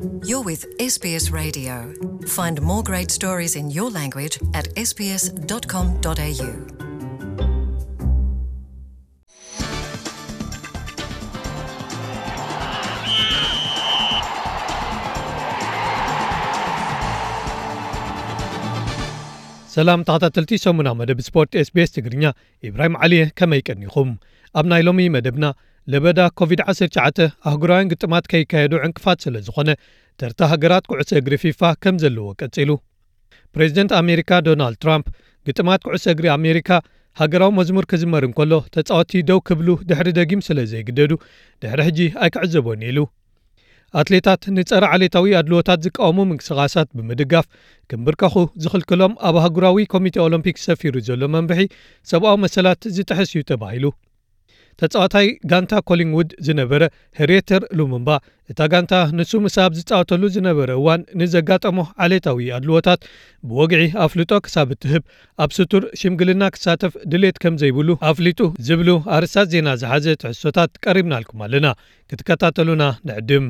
You're with S B S Radio. Find more great stories in your language at S B S dot com dot A U. ሰላም ተኸታተልቲ ሰሙና መደብ ስፖርት S B S ትግርኛ፣ ኢብራሂም ዓሊየ፣ ከመይ ቀኒኹም? ኣብ ናይ ሎሚ መደብና፣ ለበዳ ኮቪድ ዓሰርተ ትሽዓተ ኣህጉራውያን ግጥማት ከይካየዱ ዕንቅፋት ስለ ዝኾነ፣ ተርታ ሃገራት ኩዕሶ እግሪ ፊፋ ከም ዘለዎ ቀጺሉ። ፕሬዚደንት ኣሜሪካ ዶናልድ ትራምፕ፣ ግጥማት ኩዕሶ እግሪ ኣሜሪካ ሃገራዊ መዝሙር ክዝመር እንከሎ፣ ተጻወትቲ ደው ክብሉ ድሕሪ ደጊም ስለ ዘይግደዱ፣ ድሕሪ ሕጂ ኣይክዕዘቦን ኢሉ። ኣትሌታት ንጸረ ዓሌታዊ ኣድልዎታት ዝቃወሙ ምንቅስቓሳት ብምድጋፍ፣ ክምብርከኹ ዝኽልክሎም ኣብ ኣህጉራዊ ኮሚቴ ኦሎምፒክ ሰፊሩ ዘሎ መምርሒ፣ ሰብኣዊ መሰላት ዝጥሕስ እዩ ተባሂሉ። ተጻዋታይ ጋንታ ኮሊንግውድ ዝነበረ ሄሪየተር ሉሙምባ፣ እታ ጋንታ ንሱ ምስ ኣብ ዝጻወተሉ ዝነበረ እዋን ንዘጋጠሞ ዓሌታዊ ኣድልዎታት ብወግዒ ኣፍልጦ ክሳብ እትህብ፣ ኣብ ስቱር ሽምግልና ክሳተፍ ድሌት ከም ዘይብሉ ኣፍሊጡ ዝብሉ ኣርእስታት ዜና ዝሓዘ ትሕዝቶታት ቀሪብናልኩም ኣለና። ክትከታተሉና ንዕድም።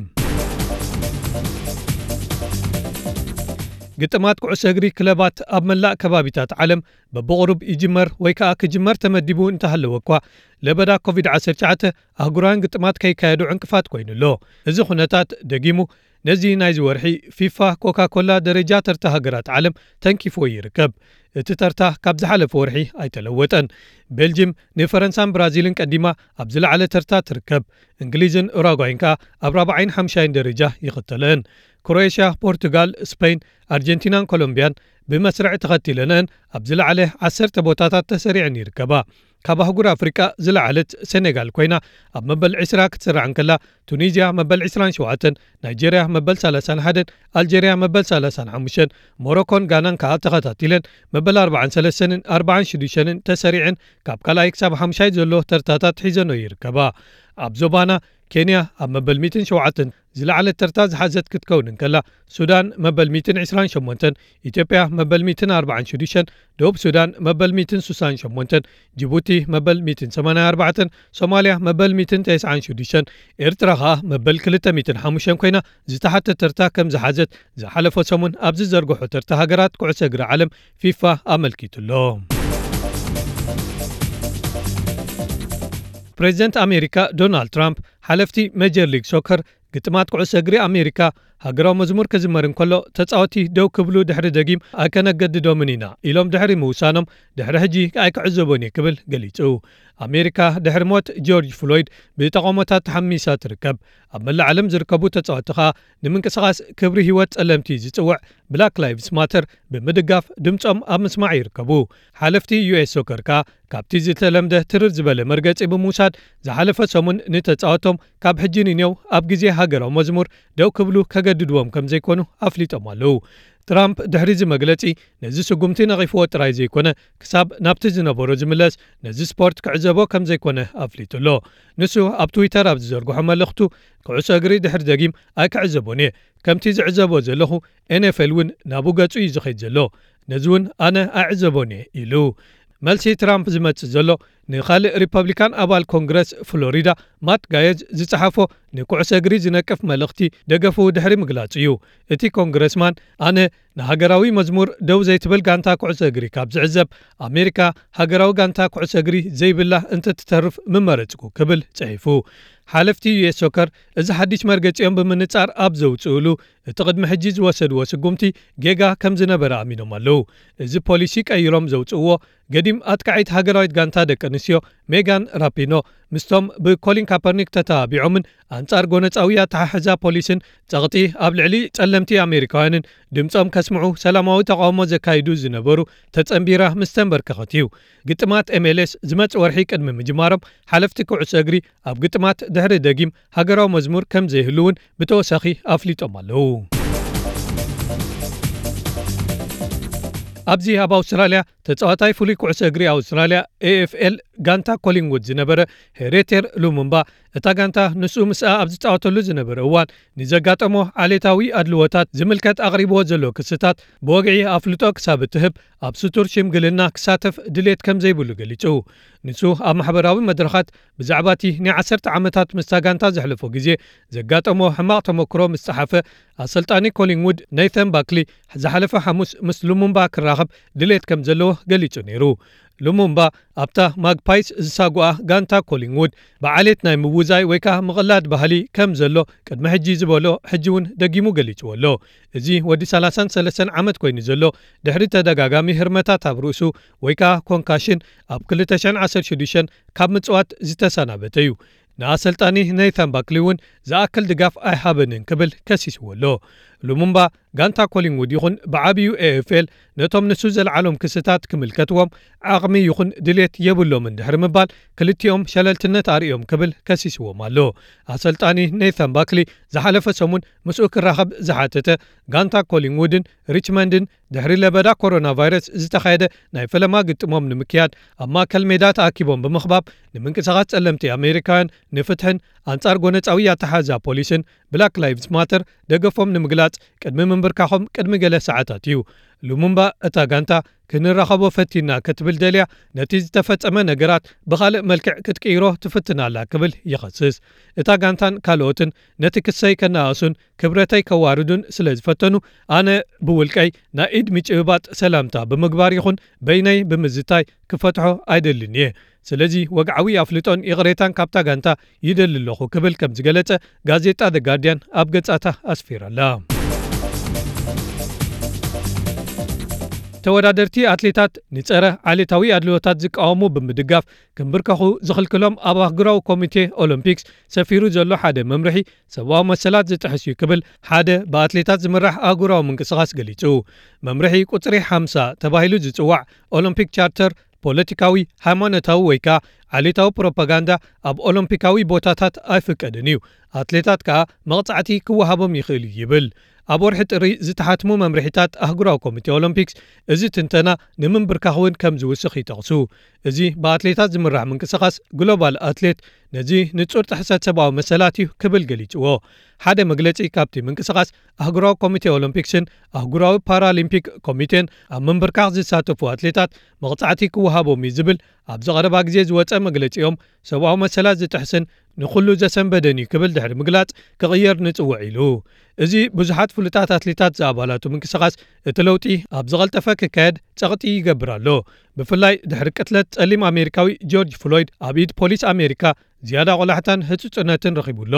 ግጥማት ኩዕሶ እግሪ ክለባት ኣብ መላእ ከባቢታት ዓለም በብቕሩብ ይጅመር ወይ ከኣ ክጅመር ተመዲቡ እንተሃለወ እኳ፣ ለበዳ ኮቪድ ዓሰርተ ትሽዓተ ኣህጉራውያን ግጥማት ከይካየዱ ዕንቅፋት ኮይኑ ኣሎ። እዚ ኩነታት ደጊሙ ነዚ ናይዚ ወርሒ ፊፋ ኮካ ኮላ ደረጃ ተርታ ሃገራት ዓለም ተንኪፍዎ ይርከብ። እቲ ተርታ ካብ ዝሓለፈ ወርሒ ኣይተለወጠን። ቤልጅም ንፈረንሳን ብራዚልን ቀዲማ ኣብ ዝለዓለ ተርታ ትርከብ። እንግሊዝን ኡራጓይን ከኣ ኣብ ራብዓይን ሓምሻይን ደረጃ ይኽተለአን። ክሮኤሽያ፣ ፖርቱጋል፣ ስፔን፣ ኣርጀንቲናን ኮሎምቢያን ብመስርዕ ተኸቲለንአን ኣብ ዝለዓለ ዓሰርተ ቦታታት ተሰሪዐን ይርከባ። ካብ ኣህጉር ኣፍሪቃ ዝለዓለት ሴኔጋል ኮይና ኣብ መበል ዕስራ ክትስራዕ እንከላ፣ ቱኒዝያ መበል ዕስራን ሸውዓተን፣ ናይጄርያ መበል ሰላሳን ሓደን፣ ኣልጄርያ መበል ሰላሳን ሓሙሽተን፣ ሞሮኮን ጋናን ከኣ ተኸታቲለን መበል ኣርባዓን ሰለስተንን ኣርባዓን ሽዱሽተንን ተሰሪዐን ካብ ካልኣይ ክሳብ ሓምሻይ ዘሎ ተርታታት ሒዘንኦ ይርከባ። ኣብ ዞባና ኬንያ ኣብ መበል ሚእትን ሸውዓተን ዝለዓለት ተርታ ዝሓዘት ክትከውን እንከላ፣ ሱዳን መበል ሚእትን ዕስራን ሸሞንተን፣ ኢትዮጵያ መበል ሚእትን ኣርባዓን ሽዱሽተን፣ ደቡብ ሱዳን መበል ሚእትን ስሳን ሸሞንተን፣ ጅቡቲ መበል ሚእትን ሰማንያን ኣርባዕተን፣ ሶማልያ መበል ሚእትን ተስዓን ሽዱሽተን፣ ኤርትራ ኸኣ መበል ክልተ ሚእትን ሓሙሽተን ኮይና፣ ዝተሓተ ተርታ ከም ዝሓዘት ዝሓለፈ ሰሙን ኣብ ዝዘርግሖ ተርታ ሃገራት ኩዕሶ እግሪ ዓለም ፊፋ ኣመልኪቱ ኣሎ። ፕሬዚደንት ኣሜሪካ ዶናልድ ትራምፕ፣ ሓለፍቲ ሜጀር ሊግ ሶከር፣ ግጥማት ኩዕሶ እግሪ ኣሜሪካ ሃገራዊ መዝሙር ክዝመር እንከሎ፣ ተጻወቲ ደው ክብሉ ድሕሪ ደጊም ኣይከነገድዶምን ኢና ኢሎም ድሕሪ ምውሳኖም፣ ድሕሪ ሕጂ ኣይክዕዘቦን እየ ክብል ገሊጹ። ኣሜሪካ ድሕሪ ሞት ጆርጅ ፍሎይድ ብተቓውሞታት ተሓሚሳ ትርከብ። ኣብ መላእ ዓለም ዝርከቡ ተጻወቲ ኸኣ ንምንቅስቓስ ክብሪ ህይወት ጸለምቲ ዝጽውዕ ብላክ ላይቭስ ማተር ብምድጋፍ ድምጾም ኣብ ምስማዕ ይርከቡ። ሓለፍቲ ዩ ኤስ ሶከር ከኣ ካብቲ ዝተለምደ ትርር ዝበለ መርገጺ ብምውሳድ፣ ዝሓለፈ ሰሙን ንተጻወቶም ካብ ሕጂ ንኔው ኣብ ግዜ ሃገራዊ መዝሙር ደው ክብሉ ከገድድዎም ከም ዘይኮኑ ኣፍሊጦም ኣለዉ። ትራምፕ ድሕሪ እዚ መግለጺ፣ ነዚ ስጉምቲ ነቒፍዎ ጥራይ ዘይኮነ፣ ክሳብ ናብቲ ዝነበሮ ዝምለስ፣ ነዚ ስፖርት ክዕዘቦ ከም ዘይኮነ ኣፍሊጡ ኣሎ። ንሱ ኣብ ትዊተር ኣብ ዝዘርግሖ መልእኽቱ፣ ኩዕሶ እግሪ ድሕሪ ደጊም ኣይክዕዘቦን እየ። ከምቲ ዝዕዘቦ ዘለኹ፣ ኤን ኤፍ ኤል እውን ናብኡ ገጹ እዩ ዝኸይድ ዘሎ። ነዚ እውን ኣነ ኣይዕዘቦን እየ ኢሉ። መልሲ ትራምፕ ዝመጽእ ዘሎ፣ ንኻልእ ሪፐብሊካን ኣባል ኮንግረስ ፍሎሪዳ ማት ጋየዝ ዝጸሓፎ ንኩዕሶ እግሪ ዝነቅፍ መልእኽቲ ደገፉ ድሕሪ ምግላጹ እዩ። እቲ ኮንግረስማን፣ ኣነ ንሃገራዊ መዝሙር ደው ዘይትብል ጋንታ ኩዕሶ እግሪ ካብ ዝዕዘብ፣ ኣሜሪካ ሃገራዊ ጋንታ ኩዕሶ እግሪ ዘይብላ እንተትተርፍ ምመረጽኩ ክብል ጽሒፉ። ሓለፍቲ ዩ ኤስ ሶከር እዚ ሓድሽ መርገጺኦም ብምንጻር ኣብ ዘውጽእሉ፣ እቲ ቅድሚ ሕጂ ዝወሰድዎ ስጉምቲ ጌጋ ከም ዝነበረ ኣሚኖም ኣለዉ። እዚ ፖሊሲ ቀይሮም ዘውጽእዎ፣ ገዲም ኣጥቃዒት ሃገራዊት ጋንታ ደቂ ኣንስትዮ ሜጋን ራፒኖ ምስቶም ብኮሊን ካፐርኒክ ተተባቢዖምን ኣንጻር ጎነጻዊ ኣተሓሕዛ ፖሊስን ጸቕጢ ኣብ ልዕሊ ጸለምቲ ኣሜሪካውያንን ድምጾም ከስምዑ ሰላማዊ ተቓውሞ ዘካይዱ ዝነበሩ ተጸንቢራ ምስ ተንበርከኸት እዩ። ግጥማት ኤም ኤል ኤስ ዝመጽእ ወርሒ ቅድሚ ምጅማሮም፣ ሓለፍቲ ኩዕሶ እግሪ ኣብ ግጥማት ድሕሪ ደጊም ሃገራዊ መዝሙር ከም ዘይህሉ እውን ብተወሳኺ ኣፍሊጦም ኣለዉ። ኣብዚ ኣብ ኣውስትራልያ ተጻዋታይ ፍሉይ ኩዕሶ እግሪ ኣውስትራልያ ኤ ኤፍ ኤል ጋንታ ኮሊንውድ ዝነበረ ሄሬቴር ሉሙምባ፣ እታ ጋንታ ንሱ ምስኣ ኣብ ዝጻወተሉ ዝነበረ እዋን ንዘጋጠሞ ዓሌታዊ ኣድልዎታት ዝምልከት ኣቕሪብዎ ዘሎ ክስታት ብወግዒ ኣፍልጦ ክሳብ እትህብ ኣብ ስቱር ሽምግልና ክሳተፍ ድሌት ከም ዘይብሉ ገሊጹ። ንሱ ኣብ ማሕበራዊ መድረኻት ብዛዕባ እቲ ናይ ዓሰርተ ዓመታት ምስታ ጋንታ ዘሕለፎ ግዜ ዘጋጠሞ ሕማቕ ተመክሮ ምስ ጸሓፈ፣ ኣሰልጣኒ ኮሊንውድ ኔተን ባክሊ ዝሓለፈ ሓሙስ ምስ ሉሙምባ ክራኸብ ድሌት ከም ዘለዎ ገሊጹ ነይሩ። ሉሙምባ ኣብታ ማግፓይስ ዝሳጓኣ ጋንታ ኮሊንውድ ብዓሌት ናይ ምውዛይ ወይ ከኣ ምቕላድ ባህሊ ከም ዘሎ ቅድሚ ሕጂ ዝበሎ ሕጂ እውን ደጊሙ ገሊጽዎ ኣሎ። እዚ ወዲ ሰላሳን ሰለስተን ዓመት ኮይኑ ዘሎ ድሕሪ ተደጋጋሚ ህርመታት ኣብ ርእሱ ወይ ከኣ ኮንካሽን ኣብ ክልተ ሽሕን ዓሰርተ ሽዱሽተን ካብ ምጽዋት ዝተሰናበተ እዩ። ንኣሰልጣኒ ኔተን ባክሊ እውን ዝኣክል ድጋፍ ኣይሃበንን ክብል ከሲስዎ ኣሎ። ሉሙምባ ጋንታ ኮሊንውድ ይኹን ብዓብዩ ኤ ኤፍ ኤል ነቶም ንሱ ዘልዓሎም ክስታት ክምልከትዎም ዓቕሚ ይኹን ድሌት የብሎምን ድሕሪ ምባል ክልቲኦም ሸለልትነት ኣርእዮም ክብል ከሲስዎም ኣሎ። ኣሰልጣኒ ኔተን ባክሊ ዝሓለፈ ሰሙን ምስኡ ክራኸብ ዝሓተተ ጋንታ ኮሊንውድን ሪችመንድን ድሕሪ ለበዳ ኮሮና ቫይረስ ዝተኻየደ ናይ ፈለማ ግጥሞም ንምክያድ ኣብ ማእከል ሜዳ ተኣኪቦም ብምኽባብ ንምንቅስቓስ ጸለምቲ ኣሜሪካውያን ንፍትሕን ኣንጻር ጎነጻዊ ኣተሓዛ ፖሊስን ብላክ ላይቭስ ማተር ደገፎም ንምግላጽ ቅድሚ ምንብርካኾም ቅድሚ ገለ ሰዓታት እዩ። ሉሙምባ እታ ጋንታ ክንራኸቦ ፈቲና ክትብል ደልያ ነቲ ዝተፈጸመ ነገራት ብኻልእ መልክዕ ክትቅይሮ ትፍትን ኣላ ክብል ይኸስስ። እታ ጋንታን ካልኦትን ነቲ ክሰይ ከነኣእሱን ክብረተይ ከዋርዱን ስለ ዝፈተኑ ኣነ ብውልቀይ ናይ ኢድ ምጭብባጥ ሰላምታ ብምግባር ይኹን በይነይ ብምዝታይ ክፈትሖ ኣይደልን እየ። ስለዚ ወግዓዊ ኣፍልጦን ይቕሬታን ካብታ ጋንታ ይደሊ ኣለኹ ክብል ከም ዝገለጸ ጋዜጣ ዘ ጋርዲያን ኣብ ገጻታ ኣስፊራላ። ተወዳደርቲ ኣትሌታት ንጸረ ዓሌታዊ ኣድልዎታት ዝቃወሙ ብምድጋፍ ክንብርከኹ ዝኽልክሎም ኣብ ኣህጉራዊ ኮሚቴ ኦሎምፒክስ ሰፊሩ ዘሎ ሓደ መምርሒ ሰብኣዊ መሰላት ዝጥሕስ እዩ ክብል ሓደ ብኣትሌታት ዝምራሕ ኣህጉራዊ ምንቅስቓስ ገሊጹ። መምርሒ ቁጽሪ ሓምሳ ተባሂሉ ዝጽዋዕ ኦሎምፒክ ቻርተር ፖለቲካዊ፣ ሃይማኖታዊ ወይ ከኣ ዓሌታዊ ፕሮፓጋንዳ ኣብ ኦሎምፒካዊ ቦታታት ኣይፍቀድን እዩ። ኣትሌታት ከኣ መቕጻዕቲ ክወሃቦም ይኽእል እዩ ይብል። ኣብ ወርሒ ጥሪ ዝተሓትሙ መምርሒታት ኣህጉራዊ ኮሚቴ ኦሎምፒክስ እዚ ትንተና ንምንብርካኽ እውን ከም ዝውስኽ ይጠቕሱ። እዚ ብኣትሌታት ዝምራሕ ምንቅስቓስ ግሎባል ኣትሌት ነዚ ንጹር ጥሕሰት ሰብኣዊ መሰላት እዩ ክብል ገሊጽዎ። ሓደ መግለጺ ካብቲ ምንቅስቓስ ኣህጉራዊ ኮሚቴ ኦሎምፒክስን ኣህጉራዊ ፓራሊምፒክ ኮሚቴን ኣብ ምንብርካኽ ዝሳተፉ ኣትሌታት መቕጻዕቲ ክወሃቦም እዩ ዝብል ኣብ ዝቐረባ ግዜ ዝወጸ መግለጺኦም ሰብኣዊ መሰላት ዝጥሕስን ንኹሉ ዘሰንበደን እዩ ክብል ድሕሪ ምግላጽ ክቕየር ንጽውዕ ኢሉ። እዚ ብዙሓት ፍሉጣት ኣትሌታት ዝኣባላቱ ምንቅስቓስ እቲ ለውጢ ኣብ ዝቐልጠፈ ክካየድ ጸቕጢ ይገብር ኣሎ። ብፍላይ ድሕሪ ቅትለት ጸሊም ኣሜሪካዊ ጆርጅ ፍሎይድ ኣብ ኢድ ፖሊስ ኣሜሪካ ዝያዳ ቆላሕታን ህጹጽነትን ረኺቡ ኣሎ።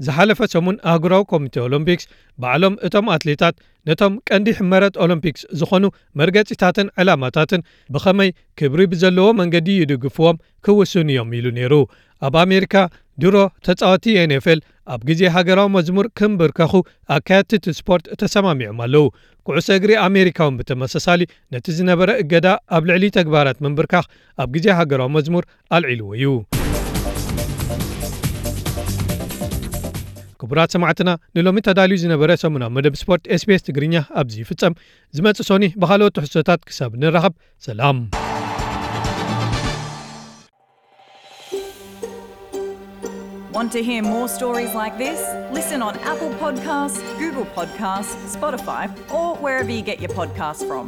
ዝሓለፈ ሰሙን ኣህጉራዊ ኮሚቴ ኦሎምፒክስ ባዕሎም እቶም ኣትሌታት ነቶም ቀንዲ ሕመረት ኦሎምፒክስ ዝኾኑ መርገጺታትን ዕላማታትን ብኸመይ ክብሪ ብዘለዎ መንገዲ ይድግፍዎም ክውስኑ እዮም ኢሉ ነይሩ። ኣብ ኣሜሪካ ድሮ ተጻወቲ ኤን ኤፍ ኤል ኣብ ግዜ ሃገራዊ መዝሙር ክምብርከኹ ኣካየድቲ እቲ ስፖርት ተሰማሚዖም ኣለዉ። ኩዕሶ እግሪ ኣሜሪካ እውን ብተመሳሳሊ ነቲ ዝነበረ እገዳ ኣብ ልዕሊ ተግባራት ምንብርካኽ ኣብ ግዜ ሃገራዊ መዝሙር ኣልዒልዎ እዩ። ክቡራት ሰማዕትና፣ ንሎሚ ተዳልዩ ዝነበረ ሰሙናዊ መደብ ስፖርት ኤስ ቢ ኤስ ትግርኛ ኣብዚ ይፍጸም። ዝመጽእ ሶኒ ብኻልኦት ትሕዝቶታት ክሳብ ንራኸብ፣ ሰላም። Want to hear more stories like this? Listen on Apple Podcasts, Google Podcasts, Spotify, or wherever you get your podcasts from.